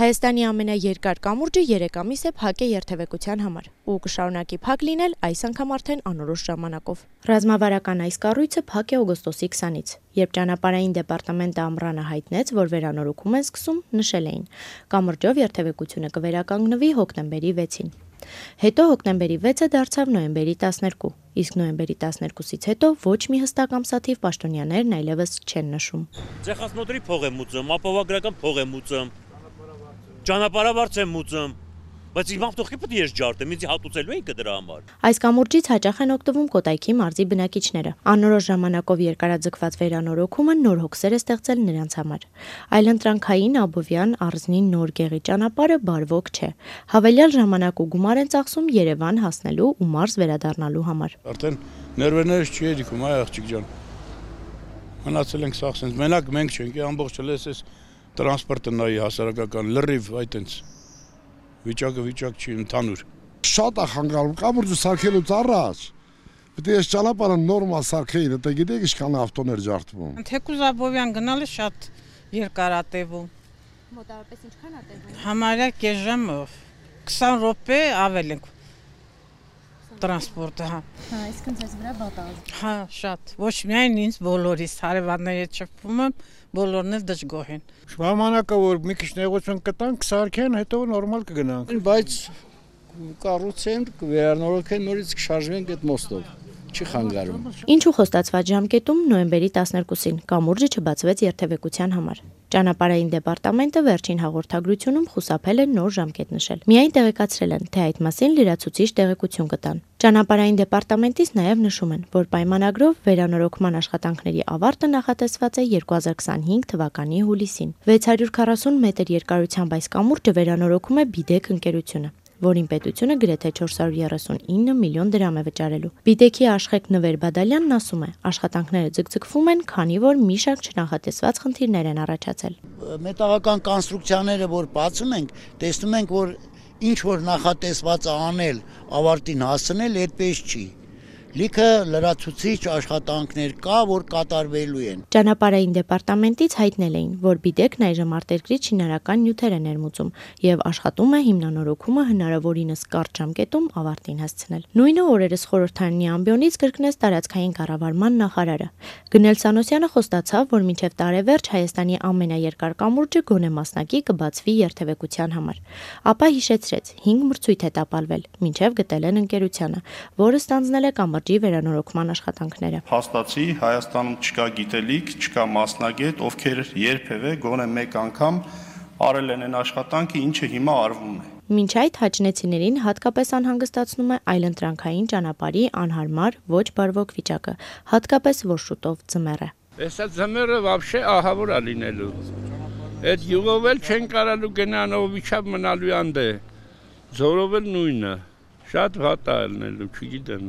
Հայաստանի ամենաերկար կամուրջը 3 ամիս է փակ է երթևեկության համար ու կշարունակի փակ լինել այս անգամ արդեն անորոշ ժամանակով։ Ռազմավարական այս կառույցը փակ է օգոստոսի 20-ից, երբ ճանապարհային դեպարտամենտը ամռանը հայտնեց, որ վերանորոգում են սկսում, նշել էին. կամուրջով երթևեկությունը կվերականգնվի հոկտեմբերի 6-ին։ Հետո հոկտեմբերի 6-ը դարձավ նոյեմբերի 12, իսկ նոյեմբերի 12-ից հետո ոչ մի հստակ ամսաթիվ պաշտոնյաներն այլևս չեն նշում։ Ցեղասնոտրի փող եմ ուծում, ապահովագրական փող եմ ուծում, ճանապարհավարձ եմ ուծում, բայց իմ ավտոხի պետք է ես ջարդեմ, ինձ հատուցելու են դրա համար։ Այս կամուրջից հաճախ են օգտվում Կոտայքի մարզի բնակիչները։ Անորոշ ժամանակով երկարաձգված վերանորոգումը նոր հոգսեր է ստեղծել նրանց համար։ Այլընտրանքային Աբովյան Արզնի նոր գեղի ճանապարհը բարվոք չէ։ Հավելյալ ժամանակ ու գումար են ծախսում Երևան հասնելու ու մարզ վերադառնալու համար։ Արդեն ներվերներս չի երիքում, այ աղջիկ ջան։ Մնացել ենք սաղ սենց, մենակ մենք չենք, ամբողջ լեսես տրանսպորտը նայի հասարակական լրիվ այտենց վիճակը վիճակ չի ընդհանուր։ Շատ է խանգարում կամուրջը սարքելուց առաջ։ Պետք է ես ճանապարհը նորմալ սարքեի, դե գիտեք ինչքան ավտոներ ջարդվում։ Թեկուզ Աբովյան գնալը շատ երկար է տևում։ Մոտավորապես ինչքան է տևում։ Համարյա կես ժամով 20 րոպե ավել ենք տրանսպորտը, հա։ Հա, այսինքն ձեզ վրա վատ է։ Հա, շատ։ Ոչ միայն ինձ, բոլորիս, հարևանների հետ շփվում եմ, բոլորն էլ դժգոհ են։ Ժամանակը որ մի քիչ նեղություն կտանք, սարքեն, հետո նորմալ կգնանք։ Բայց կառուցեն, վերանորոգեն, նորից կշարժվենք այդ մոստով։ Չի խանգարում։ Ինչու խոստացված ժամկետում նոյեմբերի 12-ին կամուրջը չբացվեց երթևեկության համար։ Ճանապարհային դեպարտամենտը վերջին հաղորդագրությունում խուսափել է նոր ժամկետ նշել։ Միայն տեղեկացրել են, թե այդ մասին լրացուցիչ տեղեկություն կտան։ Ճանապարհային դեպարտամենտից նաև նշում են, որ պայմանագրով վերանորոգման աշխատանքների ավարտը նախատեսված է 2025 թվականի հուլիսին։ 640 մետր երկարությամբ այս կամուրջը վերանորոգում է Բիդեկ ընկերությունը, որին պետությունը գրեթե 439 միլիոն դրամ է վճարելու։ Բիդեքի Աշխեք Նվեր Բադալյանն ասում է, աշխատանքները ձգձգվում են, քանի որ մի շարք չնախատեսված խնդիրներ են առաջացել։ Մետաղական կոնստրուկցիաները որ բացում ենք, տեսնում ենք, որ ինչ որ նախատեսված է անել, ավարտին հասցնել, այդպես չի։ Լիքը լրացուցիչ աշխատանքներ կա, որ կատարվելու են։ Ճանապարհային դեպարտամենտից հայտնել էին, որ Բիդեկն այժմ արտերկրից շինարական նյութեր է ներմուծում եւ աշխատում է հիմնանորոգումը հնարավորինս կարճ ժամկետում ավարտին հասցնել։ Նույնը օրերս խորհրդարանի ամբիոնից կրկնեց տարածքային կառավարման նախարարը։ Գնել Սանոսյանը խոստացավ, որ մինչև տարեվերջ Հայաստանի ամենաերկար կամուրջը գոնե մասնակի կբացվի երթևեկության համար։ Ապա հիշեցրեց, 5 մրցույթ է տապալվել, մինչև գտել են ընկերությանը, որը ստանձնել է կամրջի վերանորոգման աշխատանքները։ Փաստացի Հայաստանում չկա գիտելիք, չկա մասնագետ, ովքեր երբևէ գոնե մեկ անգամ արել են այն աշխատանքը, ինչը հիմա արվում է։ Մինչ այդ հաճնեցիներին հատկապես անհանգստացնում է այլընտրանքային ճանապարհի անհարմար ոչ բարվոք վիճակը, հատկապես որ շուտով ձմեռ է։ Էսա ձմեռը вообще ահավոր է լինելու։ Այդ յուղով էլ չեն կարալու գնանով վիճակ մնալու անդե։ Ձորով էլ նույնը։ Շատ վատ է լինելու, չգիտեմ։